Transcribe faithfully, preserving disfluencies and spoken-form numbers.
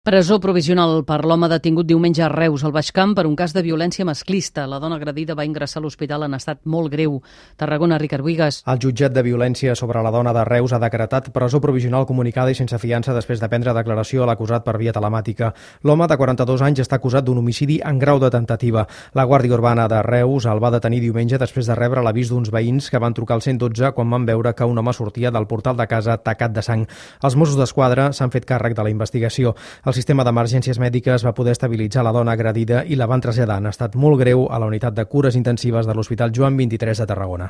Presó provisional per l'home detingut diumenge a Reus, al Baix Camp, per un cas de violència masclista. La dona agredida va ingressar a l'hospital en estat molt greu. Tarragona, Ricard Buigas. El jutjat de violència sobre la dona de Reus ha decretat presó provisional comunicada i sense fiança després de prendre declaració a l'acusat per via telemàtica. L'home, de quaranta-dos anys, està acusat d'un homicidi en grau de tentativa. La Guàrdia Urbana de Reus el va detenir diumenge després de rebre l'avís d'uns veïns que van trucar al cent dotze quan van veure que un home sortia del portal de casa tacat de sang. Els Mossos d'Esquadra s'han fet càrrec de la investigació. El sistema d'emergències mèdiques va poder estabilitzar la dona agredida i la van traslladar en estat molt greu a la unitat de cures intensives de l'Hospital Joan vint-i-tres de Tarragona.